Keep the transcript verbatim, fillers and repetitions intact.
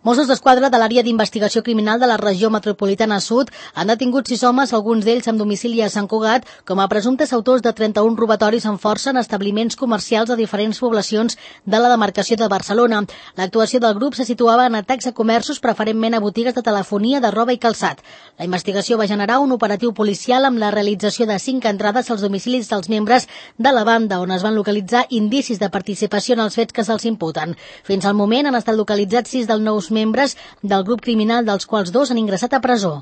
Mossos d'Esquadra de l'àrea d'investigació criminal de la regió metropolitana sud han detingut sis homes, alguns d'ells amb domicili a Sant Cugat, com a presumptes autors de trenta-un robatoris amb força en establiments comercials de diferents poblacions de la demarcació de Barcelona. L'actuació del grup se situava en atacs a comerços, preferentment a botigues de telefonia, de roba i calçat. La investigació va generar un operatiu policial amb la realització de cinc entrades als domicilis dels membres de la banda, on es van localitzar indicis de participació en els fets que se'ls imputen. Fins al moment han estat localitzats sis dels nous membres del grup criminal, dels quals dos han ingressat a presó.